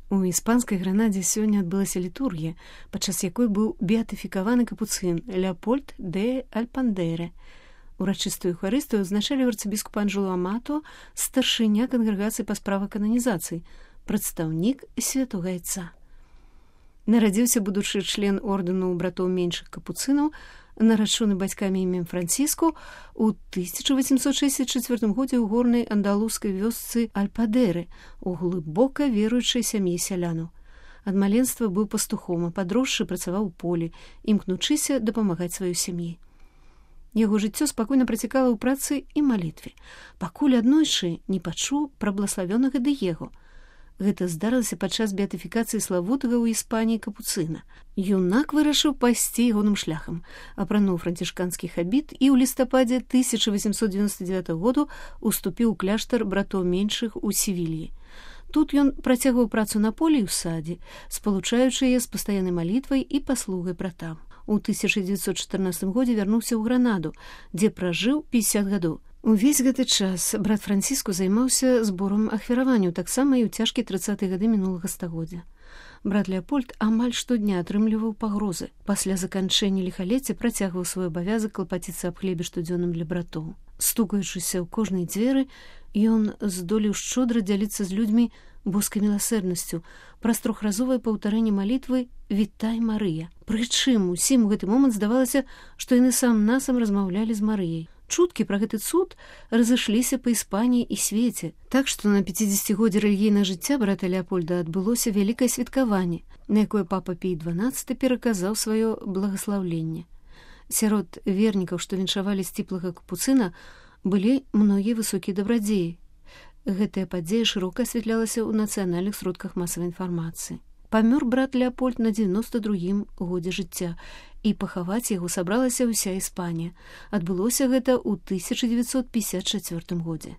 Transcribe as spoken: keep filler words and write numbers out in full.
У іспанскай Гранадзе сёння адбылася літургія, падчас якой быў беатыфікаваны капуцын Леопольд де Альпандере. Урачыстую эўхарыстыю адзначалі арцыбіскуп Анжело Амато, старшыня кангрэгацыі па справах кананізацыі, прадстаўнік святога айца. Нарадзіўся будучы член ордэну братоў меншых капуцынаў, нарачоны бацькамі імем Франціску, у тысяча восемьсот шестьдесят четвёртым годзе ў горнай андалузскай вёсцы Альпадеры, у глыбока веруючай сям'і сялянаў. Ад маленства быў пастухом, а падросшы працаваў у полі, імкнучыся дапамагаць сваёй сям'і. Яго жыццё спакойна працякала ў працы і малітве, пакуль аднойчы не пачуў пра блаславёнага Дыего. Гэта здарылася падчас беатыфікацыі славутага ў Іспаніі капуцына. Юнак вырашыў пайсці ягоным шляхам, апрануў францішканскі хабіт і ў лістападзе тысяча восемьсот девяносто девятого году уступіў у кляштар братоў меншых у Севільі. Тут ён працягваў працу на полі і ў садзе, спалучаючы яе з пастаяннай малітвай і паслугай братам. У тысяча девятьсот чатырнаццатым годзе вярнуўся ў Гранаду, дзе пражыў пятьдесят гадоў. Увесь гэты час брат Франціску займаўся зборам ахвяраванняў, таксама і ў цяжкія трыццатыя гады мінулага стагоддзя. Брат Леопольд амаль штодня атрымліваў пагрозы. Пасля заканчэння ліхалецця працягваў свой абавязак клапаціцца аб хлебе штодзённым для братоў. Стукаючыся ў кожнай дзверы, ён здолеў шчодра дзяліцца з людзьмі боскай міласэрнасцю праз трохразовае паўтарэнне малітвы «Вітай, Марыя». Прычым усім у гэты момант здавалася, што яны сам-насам размаўлялі з Марыяй. Чуткі пра гэты цуд разышліся па Іспаніі і свеце, так што на пяцідзесяцігоддзе рэлігійнага жыцця брата Леапольда адбылося вялікае святкаванне, на якое папа Пій дванаццаты пераказаў сваё благаслаўленне. Сярод вернікаў, што віншавалі сціплага капуцына, былі многія высокія дабрадзеі. Гэтая падзея шырока асвятлялася ў нацыянальных сродках масавай інфармацыі. Памёр брат Леапольд на дзевяноста другім годзе жыцця, і пахаваць яго сабралася ўся Іспанія. Адбылося гэта ў тысяча девятьсот пятьдесят четвёртым годзе.